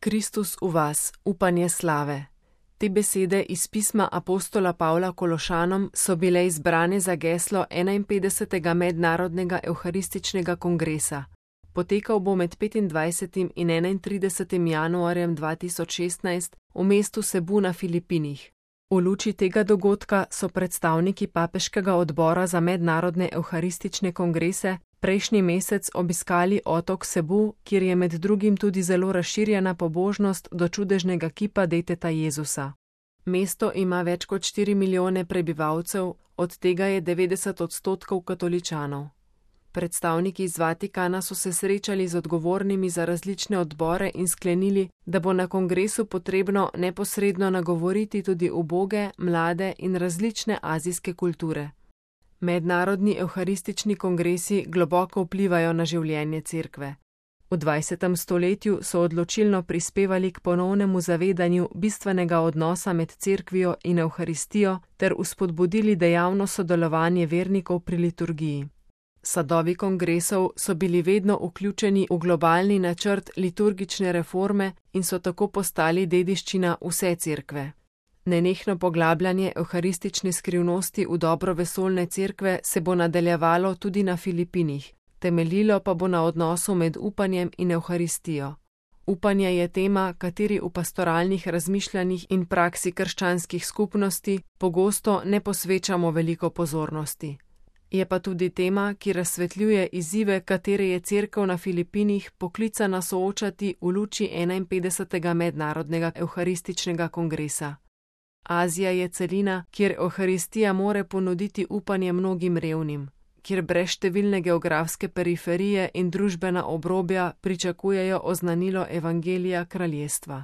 Kristus v vas, upanje slave. Te besede iz pisma apostola Pavla Kološanom so bile izbrane za geslo 51. mednarodnega evharističnega kongresa. Potekal bo med 25. in 31. januarjem 2016 v mestu Cebu na Filipinih. V luči tega dogodka so predstavniki Papeškega odbora za mednarodne evharistične kongrese prejšnji mesec obiskali otok Cebu, kjer je med drugim tudi zelo razširjena pobožnost do čudežnega kipa deteta Jezusa. Mesto ima več kot 4 milijone prebivalcev, od tega je 90% katoličanov. Predstavniki iz Vatikana so se srečali z odgovornimi za različne odbore in sklenili, da bo na kongresu potrebno neposredno nagovoriti tudi uboge, mlade in različne azijske kulture. Mednarodni evharistični kongresi globoko vplivajo na življenje cerkve. V 20. stoletju so odločilno prispevali k ponovnemu zavedanju bistvenega odnosa med cerkvijo in evharistijo ter vzpodbudili dejavno sodelovanje vernikov pri liturgiji. Sadovi kongresov so bili vedno vključeni v globalni načrt liturgične reforme in so tako postali dediščina vse cerkve. Nenehno poglabljanje evharistične skrivnosti v dobro vesoljne cerkve se bo nadaljevalo tudi na Filipinih, temeljilo pa bo na odnosu med upanjem in evharistijo. Upanje je tema, kateri v pastoralnih razmišljanjih in praksi krščanskih skupnosti pogosto ne posvečamo veliko pozornosti. Je pa tudi tema, ki razsvetljuje izzive, katere je cerkev na Filipinih poklicana soočati v luči 51. mednarodnega evharističnega kongresa. Azija je celina, kjer evharistija more ponuditi upanje mnogim revnim, kjer brez številne geografske periferije in družbena obrobja pričakujejo oznanilo evangelija kraljestva.